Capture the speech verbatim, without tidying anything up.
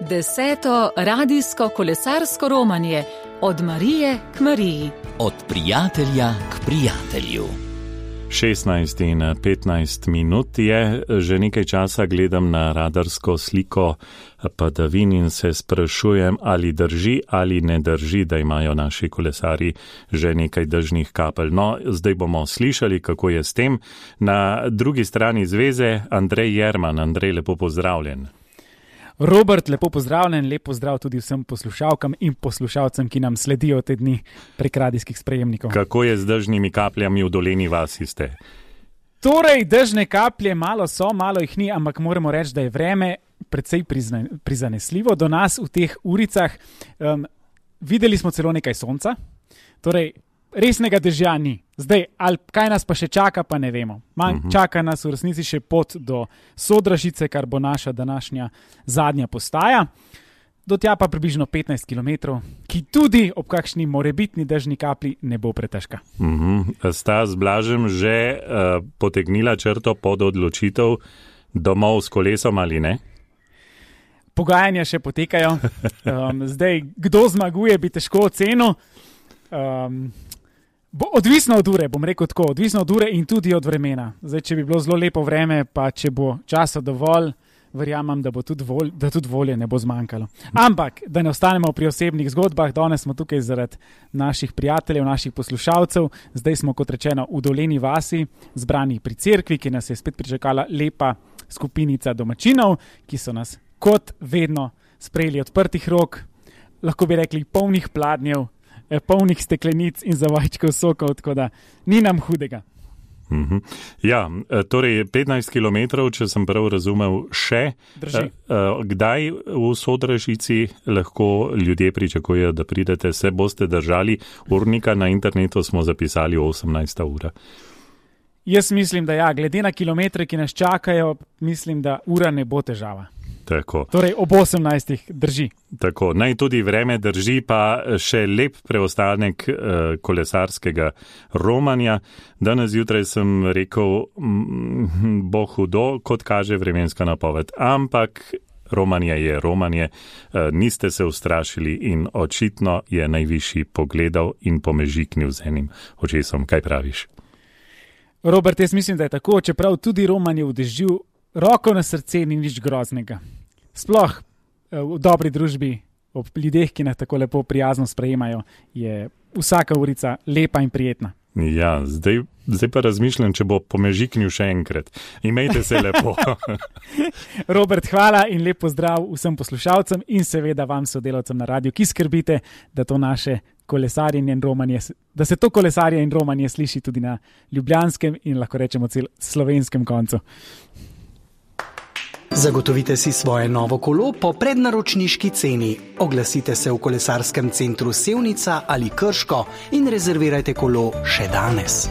Deseto radijsko kolesarsko romanje od Marije k Mariji. Od prijatelja k prijatelju. šestnajst in petnajst minut je, že nekaj časa gledam na radarsko sliko padavin in se sprašujem, ali drži ali ne drži, da imajo naši kolesari že nekaj dežnih kapelj. No, zdaj bomo slišali, kako je s tem. Na drugi strani zveze Andrej Jerman. Andrej, lepo pozdravljen. Robert, lepo pozdravljen, lepo pozdrav tudi vsem poslušalkam in poslušalcem, ki nam sledijo te dni prek radijskih sprejemnikov. Kako je z dežnimi kapljami v Dolenji vasi ste? Torej, dežne kaplje malo so, malo jih ni, ampak moramo reči, da je vreme precej prizna, prizanesljivo do nas v teh uricah. Um, videli smo celo nekaj sonca, torej resnega dežja ni. Zdaj, ali kaj nas pa še čaka, pa ne vemo. Man, uh-huh. Čaka nas v resnici še pot do Sodražice, kar bo naša današnja zadnja postaja. Do tja pa približno petnajst kilometrov, ki tudi ob kakšni morebitni dežni kapli ne bo pretežka. Uh-huh. Sta z Blažem že uh, potegnila črto pod odločitev domov s kolesom ali ne? Pogajanja še potekajo. Um, zdaj, kdo zmaguje, bi težko ocenil. Um, Bo odvisno od ure, bom rekel tako, odvisno od ure in tudi od vremena. Zdaj, če bi bilo zelo lepo vreme, pa če bo časa dovolj, verjamem, da bo tudi, volj, da tudi volje ne bo zmanjkalo. Ampak, da ne ostanemo pri osebnih zgodbah, danes smo tukaj zaradi naših prijateljev, naših poslušalcev. Zdaj smo, kot rečeno, v Dolenji vasi, zbrani pri cerkvi, ki nas je spet pričakala lepa skupinica domačinov, ki so nas kot vedno sprejeli odprtih rok, lahko bi rekli polnih pladnjev, polnih steklenic in zavajčkov sokov, tako da ni nam hudega. Mm-hmm. Ja, torej petnajst kilometrov, če sem prav razumel, še. Drži. Kdaj v Sodražici lahko ljudje pričakujejo, da pridete, se boste držali urnika? Na internetu smo zapisali osemnajsta ura. Jaz mislim, da ja, glede na kilometre, ki nas čakajo, mislim, da ura ne bo težava. Tako. Torej ob osemnajstih drži. Tako, naj tudi vreme drži, pa še lep preostanek uh, kolesarskega romanja. Danes zjutraj sem rekel, mm, bo hudo, kot kaže vremenska napoved, ampak romanje je romanje, uh, niste se ustrašili in očitno je najvišji pogledal in pomežiknil z enim očesom. Kaj praviš? Robert, jaz mislim, da je tako, čeprav tudi romanje v dežju, roko na srce ni nič groznega. Sploh v dobri družbi, ob ljudeh, ki nas tako lepo prijazno sprejemajo, je vsaka urica lepa in prijetna. Ja, zdaj, zdaj pa razmišljam, če bo pomežiknil še enkrat. Imejte se lepo. Robert, hvala in lep pozdrav vsem poslušalcem in seveda vam sodelavcem na radiju, ki skrbite, da to naše kolesarjenje in romanje, da se to kolesarjenje in romanje sliši tudi na ljubljanskem in lahko rečemo cel slovenskem koncu. Zagotovite si svoje novo kolo po prednaročniški ceni. Oglasite se v kolesarskem centru Sevnica ali Krško in rezervirajte kolo še danes.